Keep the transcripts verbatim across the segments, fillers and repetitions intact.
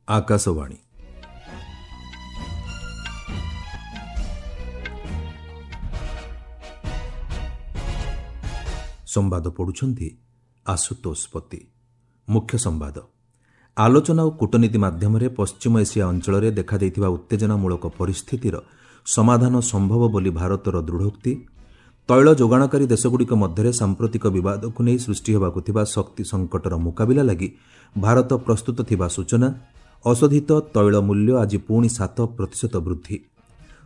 ଆକାଶବାଣୀ। ସମ୍ବାଦ ପଢ଼ୁଛନ୍ତି ଆଶୁତୋଷ ପତି। ମୁଖ୍ୟ ସମ୍ବାଦ। ଆଲୋଚନା ଓ କୂଟନୀତି ମାଧ୍ୟମରେ ପଶ୍ଚିମ ଏସିଆ ଅଞ୍ଚଳରେ ଦେଖାଦେଇଥିବା ଉତ୍ତେଜନାମୂଳକ ପରିସ୍ଥିତିର ସମାଧାନ ସମ୍ଭବ ବୋଲି ଭାରତର ଦୃଢ଼ୋକ୍ତି। ତୈଳ ଯୋଗାଣକାରୀ ଦେଶଗୁଡ଼ିକ ମଧ୍ୟରେ ସାମ୍ପ୍ରତିକ ବିବାଦକୁ ନେଇ ସୃଷ୍ଟି ହେବାକୁ ଥିବା ଶକ୍ତି ସଙ୍କଟର ମୁକାବିଲା ଲାଗି ଭାରତ ପ୍ରସ୍ତୁତ ଥିବା ସୂଚନା। ଅଶୋଧିତ ତୈଳ ମୂଲ୍ୟ ଆଜି ପୁଣି ସାତ ପ୍ରତିଶତ ବୃଦ୍ଧି।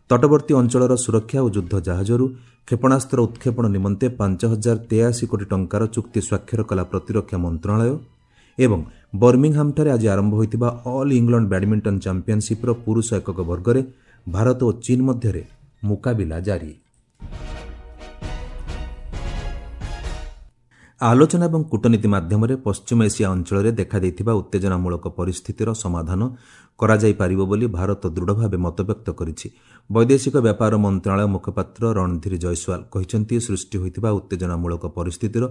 ତଟବର୍ତ୍ତୀ ଅଞ୍ଚଳର ସୁରକ୍ଷା ଓ ଯୁଦ୍ଧ ଜାହାଜରୁ କ୍ଷେପଣାସ୍ତ୍ର ଉତ୍କ୍ଷେପଣ ନିମନ୍ତେ ପାଞ୍ଚ ହଜାର ତେୟାଅଶୀ କୋଟି ଟଙ୍କାର ଚୁକ୍ତି ସ୍ୱାକ୍ଷର କଲା ପ୍ରତିରକ୍ଷା ମନ୍ତ୍ରଣାଳୟ। ଏବଂ ବର୍ମିଂହାମ୍ଠାରେ ଆଜି ଆରମ୍ଭ ହୋଇଥିବା ଅଲ୍ ଇଂଲଣ୍ଡ ବ୍ୟାଡ୍ମିଣ୍ଟନ ଚାମ୍ପିୟନସିପ୍ର ପୁରୁଷ ଏକକ ବର୍ଗରେ ଭାରତ ଓ ଚୀନ୍ ମଧ୍ୟରେ ମୁକାବିଲା ଜାରି। ଆଲୋଚନା ଏବଂ କୂଟନୀତି ମାଧ୍ୟମରେ ପଶ୍ଚିମ ଏସିଆ ଅଞ୍ଚଳରେ ଦେଖାଦେଇଥିବା ଉତ୍ତେଜନାମୂଳକ ପରିସ୍ଥିତିର ସମାଧାନ କରାଯାଇପାରିବ ବୋଲି ଭାରତ ଦୃଢ଼ ଭାବେ ମତବ୍ୟକ୍ତ କରିଛି। ବୈଦେଶିକ ବ୍ୟାପାର ମନ୍ତ୍ରଣାଳୟ ମୁଖପାତ୍ର ରଣଧୀର ଜୟସ୍ୱାଲ କହିଛନ୍ତି, ସୃଷ୍ଟି ହୋଇଥିବା ଉତ୍ତେଜନାମୂଳକ ପରିସ୍ଥିତିର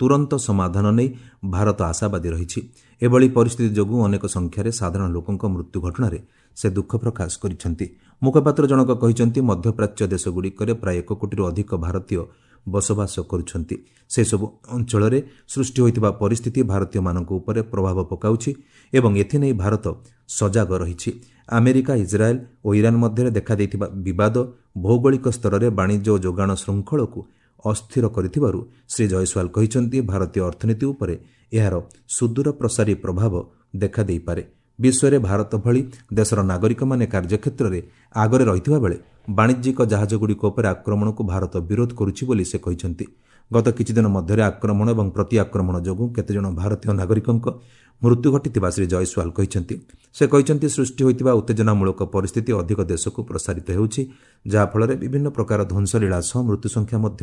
ତୁରନ୍ତ ସମାଧାନ ନେଇ ଭାରତ ଆଶାବାଦୀ ରହିଛି। ଏଭଳି ପରିସ୍ଥିତି ଯୋଗୁଁ ଅନେକ ସଂଖ୍ୟାରେ ସାଧାରଣ ଲୋକଙ୍କ ମୃତ୍ୟୁ ଘଟଣାରେ ସେ ଦୁଃଖ ପ୍ରକାଶ କରିଛନ୍ତି। ମୁଖପାତ୍ର ଜଣକ କହିଛନ୍ତି, ମଧ୍ୟପ୍ରାଚ୍ୟ ଦେଶଗୁଡ଼ିକରେ ପ୍ରାୟ ଏକ କୋଟିରୁ ଅଧିକ ଭାରତୀୟ ବସବାସ କରୁଛନ୍ତି। ସେସବୁ ଅଞ୍ଚଳରେ ସୃଷ୍ଟି ହୋଇଥିବା ପରିସ୍ଥିତି ଭାରତୀୟମାନଙ୍କ ଉପରେ ପ୍ରଭାବ ପକାଉଛି ଏବଂ ଏଥିନେଇ ଭାରତ ସଜାଗ ରହିଛି। ଆମେରିକା, ଇସ୍ରାଏଲ୍ ଓ ଇରାନ ମଧ୍ୟରେ ଦେଖାଦେଇଥିବା ବିବାଦ ଭୌଗୋଳିକ ସ୍ତରରେ ବାଣିଜ୍ୟ ଓ ଯୋଗାଣ ଶୃଙ୍ଖଳକୁ ଅସ୍ଥିର କରିଥିବାରୁ ଶ୍ରୀ ଜୟସ୍ୱାଲ କହିଛନ୍ତି, ଭାରତୀୟ ଅର୍ଥନୀତି ଉପରେ ଏହାର ସୁଦୂରପ୍ରସାରୀ ପ୍ରଭାବ ଦେଖାଦେଇପାରେ। ବିଶ୍ୱରେ ଭାରତ ଭଳି ଦେଶର ନାଗରିକମାନେ କାର୍ଯ୍ୟକ୍ଷେତ୍ରରେ ଆଗରେ ରହିଥିବା ବେଳେ ବାଣିଜ୍ୟିକ ଜାହାଜଗୁଡ଼ିକ ଉପରେ ଆକ୍ରମଣକୁ ଭାରତ ବିରୋଧ କରୁଛି ବୋଲି ସେ କହିଛନ୍ତି। ଗତ କିଛିଦିନ ମଧ୍ୟରେ ଆକ୍ରମଣ ଏବଂ ପ୍ରତିଆକ୍ରମଣ ଯୋଗୁଁ କେତେଜଣ ଭାରତୀୟ ନାଗରିକଙ୍କ ମୃତ୍ୟୁ ଘଟିଥିବା ଶ୍ରୀ ଜୟସ୍ୱାଲ କହିଛନ୍ତି। ସେ କହିଛନ୍ତି, ସୃଷ୍ଟି ହୋଇଥିବା ଉତ୍ତେଜନାମୂଳକ ପରିସ୍ଥିତି ଅଧିକ ଦେଶକୁ ପ୍ରସାରିତ ହେଉଛି, ଯାହାଫଳରେ ବିଭିନ୍ନ ପ୍ରକାର ଧ୍ୱଂସଲୀଳା ସହ ମୃତ୍ୟୁ ସଂଖ୍ୟା ମଧ୍ୟ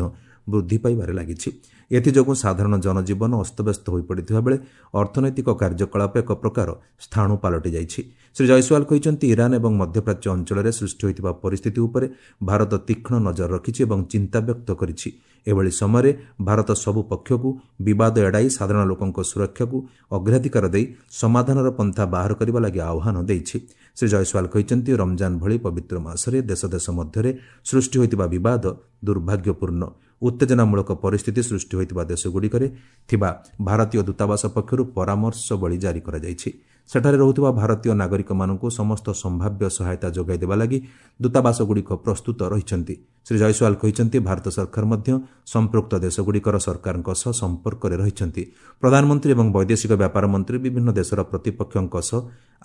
ବୃଦ୍ଧି ପାଇବାରେ ଲାଗିଛି। ଏଥିଯୋଗୁଁ ସାଧାରଣ ଜନଜୀବନ ଅସ୍ତବ୍ୟସ୍ତ ହୋଇପଡ଼ିଥିବା ବେଳେ ଅର୍ଥନୈତିକ କାର୍ଯ୍ୟକଳାପ ଏକ ପ୍ରକାର ସ୍ଥାଣୁ ପାଲଟି ଯାଇଛି। ଶ୍ରୀ ଜୟସ୍ୱାଲ କହିଛନ୍ତି, ଇରାନ ଏବଂ ମଧ୍ୟପ୍ରାଚ୍ୟ ଅଞ୍ଚଳରେ ସୃଷ୍ଟି ହୋଇଥିବା ପରିସ୍ଥିତି ଉପରେ ଭାରତ ତୀକ୍ଷ୍ଣ ନଜର ରଖିଛି ଏବଂ ଚିନ୍ତା ବ୍ୟକ୍ତ କରିଛି। ଏଭଳି ସମୟରେ ଭାରତ ସବୁ ପକ୍ଷକୁ ବିବାଦ ଏଡ଼ାଇ ସାଧାରଣ ଲୋକଙ୍କ ସୁରକ୍ଷାକୁ ଅଗ୍ରାଧିକାର ଦେଇ ସମାଧାନର ପନ୍ଥା ବାହାର କରିବା ଲାଗି ଆହ୍ୱାନ ଦେଇଛି। ଶ୍ରୀ ଜୟସ୍ୱାଲ କହିଛନ୍ତି, ରମଜାନ ଭଳି ପବିତ୍ର ମାସରେ ଦେଶ ଦେଶ ମଧ୍ୟରେ ସୃଷ୍ଟି ହୋଇଥିବା ବିବାଦ ଦୁର୍ଭାଗ୍ୟପୂର୍ଣ୍ଣ। ଉତ୍ତେଜନାମୂଳକ ପରିସ୍ଥିତି ସୃଷ୍ଟି ହୋଇଥିବା ଦେଶଗୁଡ଼ିକରେ ଥିବା ଭାରତୀୟ ଦୂତାବାସ ପକ୍ଷରୁ ପରାମର୍ଶବଳୀ ଜାରି କରାଯାଇଛି। ସେଠାରେ ରହୁଥିବା ଭାରତୀୟ ନାଗରିକମାନଙ୍କୁ ସମସ୍ତ ସମ୍ଭାବ୍ୟ ସହାୟତା ଯୋଗାଇ ଦେବା ଲାଗି ଦୂତାବାସଗୁଡ଼ିକ ପ୍ରସ୍ତୁତ ରହିଛନ୍ତି। ଶ୍ରୀ ଜୟସ୍ୱାଲ କହିଛନ୍ତି, ଭାରତ ସରକାର ମଧ୍ୟ ସମ୍ପୃକ୍ତ ଦେଶଗୁଡ଼ିକର ସରକାରଙ୍କ ସହ ସମ୍ପର୍କରେ ରହିଛନ୍ତି। ପ୍ରଧାନମନ୍ତ୍ରୀ ଏବଂ ବୈଦେଶିକ ବ୍ୟାପାର ମନ୍ତ୍ରୀ ବିଭିନ୍ନ ଦେଶର ପ୍ରତିପକ୍ଷଙ୍କ ସହ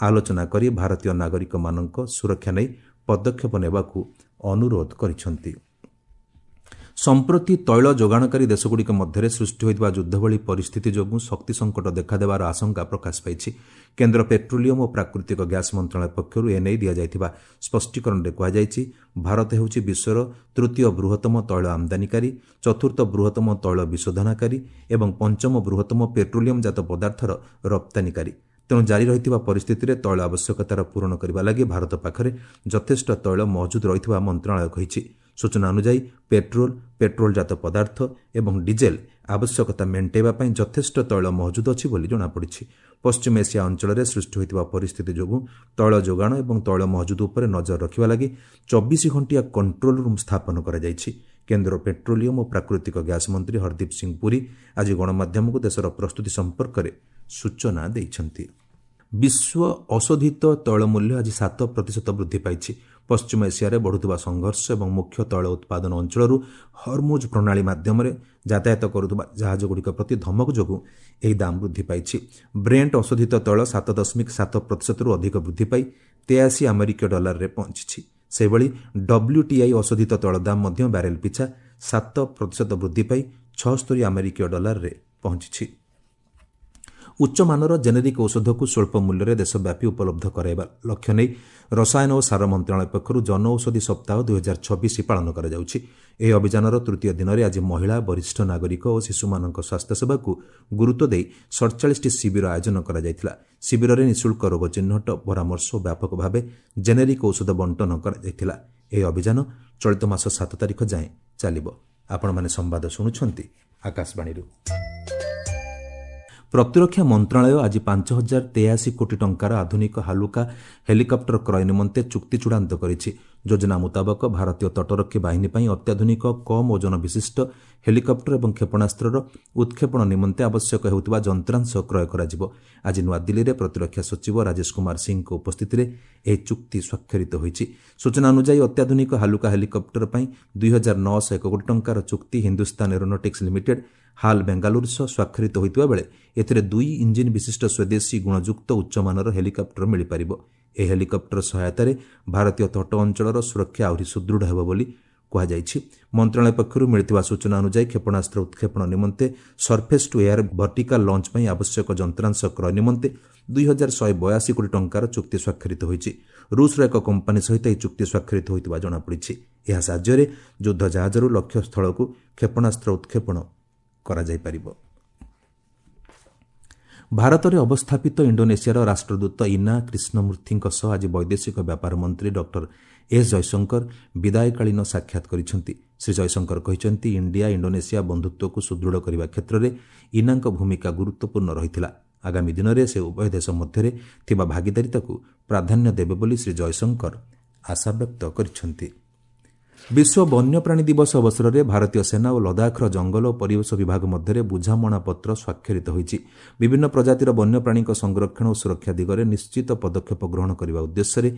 ଆଲୋଚନା କରି ଭାରତୀୟ ନାଗରିକମାନଙ୍କ ସୁରକ୍ଷା ନେଇ ପଦକ୍ଷେପ ନେବାକୁ ଅନୁରୋଧ କରିଛନ୍ତି। ସମ୍ପ୍ରତି ତୈଳ ଯୋଗାଣକାରୀ ଦେଶଗୁଡ଼ିକ ମଧ୍ୟରେ ସୃଷ୍ଟି ହୋଇଥିବା ଯୁଦ୍ଧ ଭଳି ପରିସ୍ଥିତି ଯୋଗୁଁ ଶକ୍ତି ସଙ୍କଟ ଦେଖାଦେବାର ଆଶଙ୍କା ପ୍ରକାଶ ପାଇଛି। କେନ୍ଦ୍ର ପେଟ୍ରୋଲିୟମ ଓ ପ୍ରାକୃତିକ ଗ୍ୟାସ୍ ମନ୍ତ୍ରଣାଳୟ ପକ୍ଷରୁ ଏନେଇ ଦିଆଯାଇଥିବା ସ୍ପଷ୍ଟୀକରଣରେ କୁହାଯାଇଛି, ଭାରତ ହେଉଛି ବିଶ୍ୱର ତୃତୀୟ ବୃହତ୍ତମ ତୈଳ ଆମଦାନୀକାରୀ, ଚତୁର୍ଥ ବୃହତ୍ତମ ତୈଳ ବିଶୋଧନକାରୀ ଏବଂ ପଞ୍ଚମ ବୃହତ୍ତମ ପେଟ୍ରୋଲିୟମ ଜାତ ପଦାର୍ଥର ରପ୍ତାନୀକାରୀ। ତେଣୁ ଜାରି ରହିଥିବା ପରିସ୍ଥିତିରେ ତୈଳ ଆବଶ୍ୟକତାର ପୂରଣ କରିବା ଲାଗି ଭାରତ ପାଖରେ ଯଥେଷ୍ଟ ତୈଳ ମହଜୁଦ ରହିଥିବା ମନ୍ତ୍ରଣାଳୟ କହିଛି। ସୂଚନା ଅନୁଯାୟୀ, ପେଟ୍ରୋଲ, ପେଟ୍ରୋଲ ଜାତ ପଦାର୍ଥ ଏବଂ ଡିଜେଲ ଆବଶ୍ୟକତା ମେଣ୍ଟାଇବା ପାଇଁ ଯଥେଷ୍ଟ ତୈଳ ମହଜୁଦ ଅଛି ବୋଲି ଜଣାପଡ଼ିଛି। ପଶ୍ଚିମ ଏସିଆ ଅଞ୍ଚଳରେ ସୃଷ୍ଟି ହୋଇଥିବା ପରିସ୍ଥିତି ଯୋଗୁଁ ତୈଳ ଯୋଗାଣ ଏବଂ ତୈଳ ମହଜୁଦ ଉପରେ ନଜର ରଖିବା ଲାଗି ଚବିଶ ଘଣ୍ଟିଆ କଣ୍ଟ୍ରୋଲ ରୁମ୍ ସ୍ଥାପନ କରାଯାଇଛି। କେନ୍ଦ୍ର ପେଟ୍ରୋଲିୟମ ଓ ପ୍ରାକୃତିକ ଗ୍ୟାସ୍ ମନ୍ତ୍ରୀ ହରଦୀପ ସିଂ ପୁରୀ ଆଜି ଗଣମାଧ୍ୟମକୁ ଦେଶର ପ୍ରସ୍ତୁତି ସମ୍ପର୍କରେ ସୂଚନା ଦେଇଛନ୍ତି। ବିଶ୍ୱ ଅଶୋଧିତ ତୈଳ ମୂଲ୍ୟ ଆଜି ସାତ ପ୍ରତିଶତ ବୃଦ୍ଧି ପାଇଛି। ପଶ୍ଚିମ ଏସିଆରେ ବଢ଼ୁଥିବା ସଂଘର୍ଷ ଏବଂ ମୁଖ୍ୟ ତୈଳ ଉତ୍ପାଦନ ଅଞ୍ଚଳରୁ ହରମୁଜ ପ୍ରଣାଳୀ ମାଧ୍ୟମରେ ଯାତାୟାତ କରୁଥିବା ଜାହାଜଗୁଡ଼ିକ ପ୍ରତି ଧମକ ଯୋଗୁଁ ଏହି ଦାମ ବୃଦ୍ଧି ପାଇଛି। ବ୍ରେଣ୍ଟ ଅଶୋଧିତ ତୈଳ ସାତ ଦଶମିକ ସାତ ପ୍ରତିଶତରୁ ଅଧିକ ବୃଦ୍ଧି ପାଇ ତେୟାଅଶୀ ଆମେରିକୀୟ ଡଲାରରେ ପହଞ୍ଚିଛି। ସେହିଭଳି ଡବ୍ଲ୍ୟୁଟିଆଇ ଅଶୋଧିତ ତୈଳ ଦାମ ମଧ୍ୟ ବ୍ୟାରେଲ ପିଛା ସାତ ପ୍ରତିଶତ ବୃଦ୍ଧି ପାଇ ଛଅସ୍ତରୀ ଆମେରିକୀୟ ଡଲାରରେ ପହଞ୍ଚିଛି। ଉଚ୍ଚମାନର ଜେନେରିକ୍ ଔଷଧକୁ ସ୍ୱଳ୍ପ ମୂଲ୍ୟରେ ଦେଶବ୍ୟାପୀ ଉପଲବ୍ଧ କରାଇବା ଲକ୍ଷ୍ୟ ନେଇ ରସାୟନ ଓ ସାର ମନ୍ତ୍ରଣାଳୟ ପକ୍ଷରୁ ଜନଔଷଧି ସପ୍ତାହ ଦୁଇହଜାର ଛବିଶ ପାଳନ କରାଯାଉଛି। ଏହି ଅଭିଯାନର ତୃତୀୟ ଦିନରେ ଆଜି ମହିଳା, ବରିଷ୍ଠ ନାଗରିକ ଓ ଶିଶୁମାନଙ୍କ ସ୍ୱାସ୍ଥ୍ୟସେବାକୁ ଗୁରୁତ୍ୱ ଦେଇ ସଡ଼ଚାଳିଶଟି ଶିବିର ଆୟୋଜନ କରାଯାଇଥିଲା। ଶିବିରରେ ନିଃଶୁଳ୍କ ରୋଗ ଚିହ୍ନଟ, ପରାମର୍ଶ ଓ ବ୍ୟାପକ ଭାବେ ଜେନେରିକ୍ ଔଷଧ ବଣ୍ଟନ କରାଯାଇଥିଲା। ଏହି ଅଭିଯାନ ଚଳିତ ମାସ ସାତ ତାରିଖ ଯାଏଁ ଚାଲିବ। ଆପଣମାନେ ସମ୍ବାଦ ଶୁଣୁଛନ୍ତି ଆକାଶବାଣୀରୁ। ପ୍ରତିରକ୍ଷା ମନ୍ତ୍ରଣାଳୟ ଆଜି ପାଞ୍ଚ ହଜାର ତେୟାଅଶୀ କୋଟି ଟଙ୍କାର ଆଧୁନିକ ହାଲୁକା ହେଲିକପ୍ଟର କ୍ରୟ ନିମନ୍ତେ ଚୁକ୍ତି ଚୂଡ଼ାନ୍ତ କରିଛି। ଯୋଜନା ମୁତାବକ ଭାରତୀୟ ତଟରକ୍ଷୀ ବାହିନୀ ପାଇଁ ଅତ୍ୟାଧୁନିକ କମ୍ ଓଜନ ବିଶିଷ୍ଟ ହେଲିକପ୍ଟର ଏବଂ କ୍ଷେପଣାସ୍ତ୍ରର ଉତ୍କ୍ଷେପଣ ନିମନ୍ତେ ଆବଶ୍ୟକ ହେଉଥିବା ଯନ୍ତ୍ରାଂଶ କ୍ରୟ କରାଯିବ। ଆଜି ନୂଆଦିଲ୍ଲୀରେ ପ୍ରତିରକ୍ଷା ସଚିବ ରାଜେଶ କୁମାର ସିଂହଙ୍କ ଉପସ୍ଥିତିରେ ଏହି ଚୁକ୍ତି ସ୍ୱାକ୍ଷରିତ ହୋଇଛି। ସୂଚନା ଅନୁଯାୟୀ ଅତ୍ୟାଧୁନିକ ହାଲୁକା ହେଲିକପ୍ଟର ପାଇଁ ଦୁଇ ହଜାର ନଅଶହ ଏକ କୋଟି ଟଙ୍କାର ଚୁକ୍ତି ହିନ୍ଦୁସ୍ତାନ ଏରୋନଟିକ୍ସ ଲିମିଟେଡ୍ ହାଲ୍ ବେଙ୍ଗାଲୁରୁ ସହ ସ୍ୱାକ୍ଷରିତ ହୋଇଥିବା ବେଳେ ଏଥିରେ ଦୁଇ ଇଞ୍ଜିନ୍ ବିଶିଷ୍ଟ ସ୍ୱଦେଶୀ ଗୁଣଯୁକ୍ତ ଉଚ୍ଚମାନର ହେଲିକପ୍ଟର ମିଳିପାରିବ। ଏହି ହେଲିକପ୍ଟର ସହାୟତାରେ ଭାରତୀୟ ତଟ ଅଞ୍ଚଳର ସୁରକ୍ଷା ଆହୁରି ସୁଦୃଢ଼ ହେବ ବୋଲି କୁହାଯାଇଛି। ମନ୍ତ୍ରଣାଳୟ ପକ୍ଷରୁ ମିଳିଥିବା ସୂଚନା ଅନୁଯାୟୀ କ୍ଷେପଣାସ୍ତ୍ର ଉତ୍କ୍ଷେପଣ ନିମନ୍ତେ surface to air vertical launch ପାଇଁ ଆବଶ୍ୟକ ଯନ୍ତ୍ରାଂଶ କ୍ରୟ ନିମନ୍ତେ ଦୁଇ ହଜାର ଶହେ ବୟାଅଶୀ କୋଟି ଟଙ୍କାର ଚୁକ୍ତି ସ୍ୱାକ୍ଷରିତ ହୋଇଛି। ରୁଷର ଏକ କମ୍ପାନୀ ସହିତ ଏହି ଚୁକ୍ତି ସ୍ୱାକ୍ଷରିତ ହୋଇଥିବା ଜଣାପଡ଼ିଛି। ଏହା ସାହାଯ୍ୟରେ ଯୁଦ୍ଧ ଜାହାଜରୁ ଲକ୍ଷ୍ୟସ୍ଥଳକୁ କ୍ଷେପଣାସ୍ତ୍ର ଉତ୍କ୍ଷେପଣ କରାଯାଇପାରିବ। ଭାରତରେ ଅବସ୍ଥାପିତ ଇଣ୍ଡୋନେସିଆର ରାଷ୍ଟ୍ରଦୂତ ଇନା କ୍ରିଷ୍ଣମୂର୍ତ୍ତିଙ୍କ ସହ ଆଜି ବୈଦେଶିକ ବ୍ୟାପାର ମନ୍ତ୍ରୀ ଡକ୍ଟର ଏସ୍ ଜୟଶଙ୍କର ବିଦାୟକାଳୀନ ସାକ୍ଷାତ କରିଛନ୍ତି। ଶ୍ରୀ ଜୟଶଙ୍କର କହିଛନ୍ତି, ଇଣ୍ଡିଆ ଇଣ୍ଡୋନେସିଆ ବନ୍ଧୁତ୍ୱକୁ ସୁଦୃଢ଼ କରିବା କ୍ଷେତ୍ରରେ ଇନାଙ୍କ ଭୂମିକା ଗୁରୁତ୍ୱପୂର୍ଣ୍ଣ ରହିଥିଲା। ଆଗାମୀ ଦିନରେ ସେ ଉଭୟ ଦେଶ ମଧ୍ୟରେ ଥିବା ଭାଗିଦାରିତାକୁ ପ୍ରାଧାନ୍ୟ ଦେବେ ବୋଲି ଶ୍ରୀ ଜୟଶଙ୍କର ଆଶାବ୍ୟକ୍ତ କରିଛନ୍ତି। ବିଶ୍ୱ ବନ୍ୟପ୍ରାଣୀ ଦିବସ ଅବସରରେ ଭାରତୀୟ ସେନା ଓ ଲଦାଖର ଜଙ୍ଗଲ ଓ ପରିବେଶ ବିଭାଗ ମଧ୍ୟରେ ବୁଝାମଣାପତ୍ର ସ୍ୱାକ୍ଷରିତ ହୋଇଛି। ବିଭିନ୍ନ ପ୍ରଜାତିର ବନ୍ୟପ୍ରାଣୀଙ୍କ ସଂରକ୍ଷଣ ଓ ସୁରକ୍ଷା ଦିଗରେ ନିଶ୍ଚିତ ପଦକ୍ଷେପ ଗ୍ରହଣ କରିବା ଉଦ୍ଦେଶ୍ୟରେ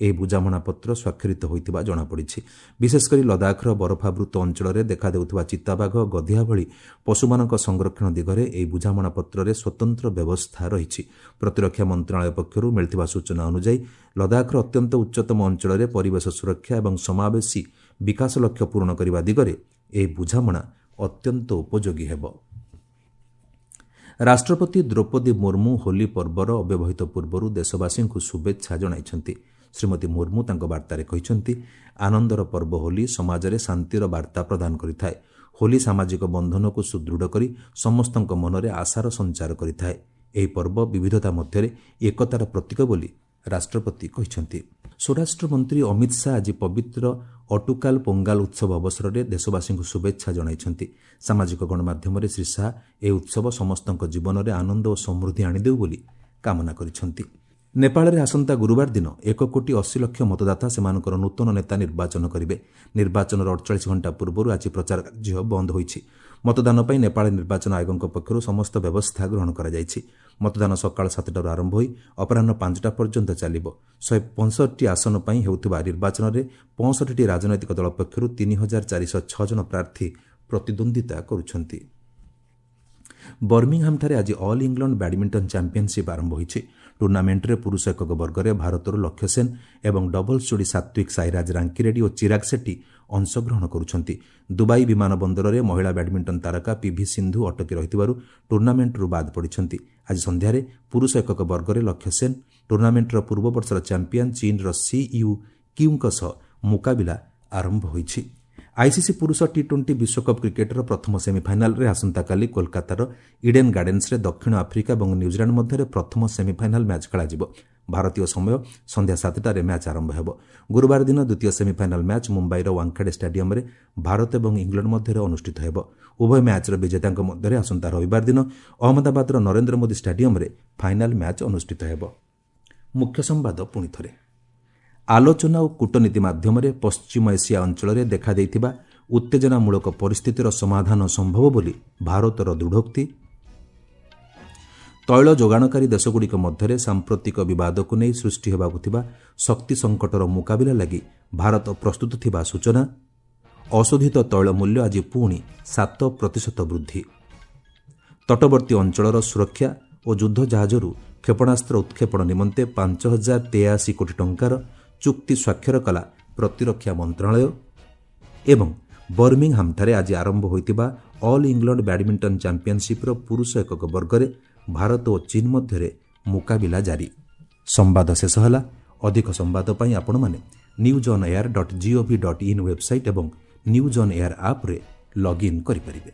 ଏହି ବୁଝାମଣାପତ୍ର ସ୍ୱାକ୍ଷରିତ ହୋଇଥିବା ଜଣାପଡ଼ିଛି। ବିଶେଷକରି ଲଦାଖର ବରଫାବୃତ ଅଞ୍ଚଳରେ ଦେଖାଦେଉଥିବା ଚିତାବାଘ, ଗଧିଆ ଭଳି ପଶୁମାନଙ୍କ ସଂରକ୍ଷଣ ଦିଗରେ ଏହି ବୁଝାମଣାପତ୍ରରେ ସ୍ୱତନ୍ତ୍ର ବ୍ୟବସ୍ଥା ରହିଛି। ପ୍ରତିରକ୍ଷା ମନ୍ତ୍ରଣାଳୟ ପକ୍ଷରୁ ମିଳିଥିବା ସୂଚନା ଅନୁଯାୟୀ ଲଦାଖର ଅତ୍ୟନ୍ତ ଉଚ୍ଚତମ ଅଞ୍ଚଳରେ ପରିବେଶ ସୁରକ୍ଷା ଏବଂ ସମାବେଶୀ ବିକାଶ ଲକ୍ଷ୍ୟ ପୂରଣ କରିବା ଦିଗରେ ଏହି ବୁଝାମଣା ଅତ୍ୟନ୍ତ ଉପଯୋଗୀ ହେବ। ରାଷ୍ଟ୍ରପତି ଦ୍ରୌପଦୀ ମୁର୍ମୁ ହୋଲି ପର୍ବର ଅବ୍ୟବହିତ ପୂର୍ବରୁ ଦେଶବାସୀଙ୍କୁ ଶୁଭେଚ୍ଛା ଜଣାଇଛନ୍ତି। ଶ୍ରୀମତୀ ମୁର୍ମୁ ତାଙ୍କ ବାର୍ତ୍ତାରେ କହିଛନ୍ତି, ଆନନ୍ଦର ପର୍ବ ହୋଲି ସମାଜରେ ଶାନ୍ତିର ବାର୍ତ୍ତା ପ୍ରଦାନ କରିଥାଏ। ହୋଲି ସାମାଜିକ ବନ୍ଧନକୁ ସୁଦୃଢ଼ କରି ସମସ୍ତଙ୍କ ମନରେ ଆଶାର ସଞ୍ଚାର କରିଥାଏ। ଏହି ପର୍ବ ବିବିଧତା ମଧ୍ୟରେ ଏକତାର ପ୍ରତୀକ ବୋଲି ରାଷ୍ଟ୍ରପତି କହିଛନ୍ତି। ସ୍ୱରାଷ୍ଟ୍ରମନ୍ତ୍ରୀ ଅମିତ ଶାହା ଆଜି ପବିତ୍ର ଅଟୁକାଲ ପୋଙ୍ଗାଲ ଉତ୍ସବ ଅବସରରେ ଦେଶବାସୀଙ୍କୁ ଶୁଭେଚ୍ଛା ଜଣାଇଛନ୍ତି। ସାମାଜିକ ଗଣମାଧ୍ୟମରେ ଶ୍ରୀ ଶାହା ଏହି ଉତ୍ସବ ସମସ୍ତଙ୍କ ଜୀବନରେ ଆନନ୍ଦ ଓ ସମୃଦ୍ଧି ଆଣିଦେଉ ବୋଲି କାମନା କରିଛନ୍ତି। ନେପାଳରେ ଆସନ୍ତା ଗୁରୁବାର ଦିନ ଏକ କୋଟି ଅଶୀ ଲକ୍ଷ ମତଦାତା ସେମାନଙ୍କର ନୂତନ ନେତା ନିର୍ବାଚନ କରିବେ। ନିର୍ବାଚନର ଅଡ଼ଚାଳିଶ ଘଣ୍ଟା ପୂର୍ବରୁ ଆଜି ପ୍ରଚାର କାର୍ଯ୍ୟ ବନ୍ଦ ହୋଇଛି। ମତଦାନ ପାଇଁ ନେପାଳ ନିର୍ବାଚନ ଆୟୋଗଙ୍କ ପକ୍ଷରୁ ସମସ୍ତ ବ୍ୟବସ୍ଥା ଗ୍ରହଣ କରାଯାଇଛି। ମତଦାନ ସକାଳ ସାତଟାରୁ ଆରମ୍ଭ ହୋଇ ଅପରାହ୍ନ ପାଞ୍ଚଟା ପର୍ଯ୍ୟନ୍ତ ଚାଲିବ। ଶହେ ପଞ୍ଚଷଠି ଆସନ ପାଇଁ ହେଉଥିବା ନିର୍ବାଚନରେ ପଞ୍ଚଷଠିଟି ରାଜନୈତିକ ଦଳ ପକ୍ଷରୁ ତିନି ହଜାର ଚାରିଶହ ଛଅ ଜଣ ପ୍ରାର୍ଥୀ ପ୍ରତିଦ୍ୱନ୍ଦ୍ୱିତା କରୁଛନ୍ତି। ବର୍ମିଂହାମ୍ଠାରେ ଆଜି ଅଲ୍ ଇଂଲଣ୍ଡ ବ୍ୟାଡମିଣ୍ଟନ ଚାମ୍ପିୟନସିପ୍ ଆରମ୍ଭ ହୋଇଛି। ଟୁର୍ଣ୍ଣାମେଣ୍ଟରେ ପୁରୁଷ ଏକକ ବର୍ଗରେ ଭାରତରୁ ଲକ୍ଷ୍ୟ ସେନ୍ ଏବଂ ଡବଲ୍ସ ଯୋଡ଼ି ସାତ୍ୱିକ ସାଇରାଜ ରାଙ୍କିରେଡ୍ଡି ଓ ଚିରାଗ ସେଟ୍ଟି ଅଂଶଗ୍ରହଣ କରୁଛନ୍ତି। ଦୁବାଇ ବିମାନ ବନ୍ଦରରେ ମହିଳା ବ୍ୟାଡମିଣ୍ଟନ ତାରକା ପିଭି ସିନ୍ଧୁ ଅଟକି ରହିଥିବାରୁ ଟୁର୍ଣ୍ଣାମେଣ୍ଟରୁ ବାଦ୍ ପଡ଼ିଛନ୍ତି। ଆଜି ସନ୍ଧ୍ୟାରେ ପୁରୁଷ ଏକକ ବର୍ଗରେ ଲକ୍ଷ୍ୟ ସେନ୍ ଟୁର୍ଣ୍ଣାମେଣ୍ଟର ପୂର୍ବ ବର୍ଷର ଚାମ୍ପିୟନ ଚୀନ୍ର ସି ୟୁ କ୍ୟୁଙ୍କ ସହ ମୁକାବିଲା ଆରମ୍ଭ ହୋଇଛି। ଆଇସିସି ପୁରୁଷ ଟି ଟ୍ୱେଣ୍ଟି ବିଶ୍ୱକପ୍ କ୍ରିକେଟର ପ୍ରଥମ ସେମିଫାଇନାଲରେ ଆସନ୍ତାକାଲି କୋଲକାତାର ଇଡେନ୍ ଗାର୍ଡେନ୍ସରେ ଦକ୍ଷିଣ ଆଫ୍ରିକା ଏବଂ ନ୍ୟୁଜିଲାଣ୍ଡ ମଧ୍ୟରେ ପ୍ରଥମ ସେମିଫାଇନାଲ ମ୍ୟାଚ୍ ଖେଳାଯିବ। ଭାରତୀୟ ସମୟ ସନ୍ଧ୍ୟା ସାତଟାରେ ମ୍ୟାଚ୍ ଆରମ୍ଭ ହେବ। ଗୁରୁବାର ଦିନ ଦ୍ୱିତୀୟ ସେମିଫାଇନାଲ ମ୍ୟାଚ୍ ମୁମ୍ବାଇର ୱାଙ୍ଖେଡେ ଷ୍ଟାଡିୟମରେ ଭାରତ ଏବଂ ଇଂଲଣ୍ଡ ମଧ୍ୟରେ ଅନୁଷ୍ଠିତ ହେବ। ଉଭୟ ମ୍ୟାଚ୍ର ବିଜେତାଙ୍କ ମଧ୍ୟରେ ଆସନ୍ତା ରବିବାର ଦିନ ଅହମ୍ମଦାବାଦର ନରେନ୍ଦ୍ର ମୋଦି ଷ୍ଟାଡିୟମରେ ଫାଇନାଲ ମ୍ୟାଚ୍ ଅନୁଷ୍ଠିତ ହେବ। ମୁଖ୍ୟ ସମ୍ବାଦ ପୁଣିଥରେ, ଆଲୋଚନା ଓ କୂଟନୀତି ମାଧ୍ୟମରେ ପଶ୍ଚିମ ଏସିଆ ଅଞ୍ଚଳରେ ଦେଖାଦେଇଥିବା ଉତ୍ତେଜନାମୂଳକ ପରିସ୍ଥିତିର ସମାଧାନ ସମ୍ଭବ ବୋଲି ଭାରତର ଦୃଢ଼ୋକ୍ତି। ତୈଳ ଯୋଗାଣକାରୀ ଦେଶଗୁଡ଼ିକ ମଧ୍ୟରେ ସାମ୍ପ୍ରତିକ ବିବାଦକୁ ନେଇ ସୃଷ୍ଟି ହେବାକୁ ଥିବା ଶକ୍ତି ସଙ୍କଟର ମୁକାବିଲା ଲାଗି ଭାରତ ପ୍ରସ୍ତୁତ ଥିବା ସୂଚନା। ଅଶୋଧିତ ତୈଳ ମୂଲ୍ୟ ଆଜି ପୁଣି ସାତ ପ୍ରତିଶତ ବୃଦ୍ଧି। ତଟବର୍ତ୍ତୀ ଅଞ୍ଚଳର ସୁରକ୍ଷା ଓ ଯୁଦ୍ଧ ଜାହାଜରୁ କ୍ଷେପଣାସ୍ତ୍ର ଉତ୍କ୍ଷେପଣ ନିମନ୍ତେ ପାଞ୍ଚ ହଜାର ତେୟାଅଶୀ କୋଟି ଟଙ୍କାର ଚୁକ୍ତି ସ୍ୱାକ୍ଷର କଲା ପ୍ରତିରକ୍ଷା ମନ୍ତ୍ରଣାଳୟ। ଏବଂ ବର୍ମିଂହାମ୍ଠାରେ ଆଜି ଆରମ୍ଭ ହୋଇଥିବା ଅଲ୍ ଇଂଲଣ୍ଡ ବ୍ୟାଡମିଣ୍ଟନ ଚାମ୍ପିୟନସିପ୍ର ପୁରୁଷ ଏକକ ବର୍ଗରେ ଭାରତ ଓ ଚୀନ୍ ମଧ୍ୟରେ ମୁକାବିଲା ଜାରି। ସମ୍ବାଦ ଶେଷ ହେଲା। ଅଧିକ ସମ୍ବାଦ ପାଇଁ ଆପଣମାନେ news on air dot gov dot in website ଏବଂ ନ୍ୟୁଜ୍ ଅନ୍ ଏୟାର ଆପ୍ରେ ଲଗ୍ଇନ୍ କରିପାରିବେ।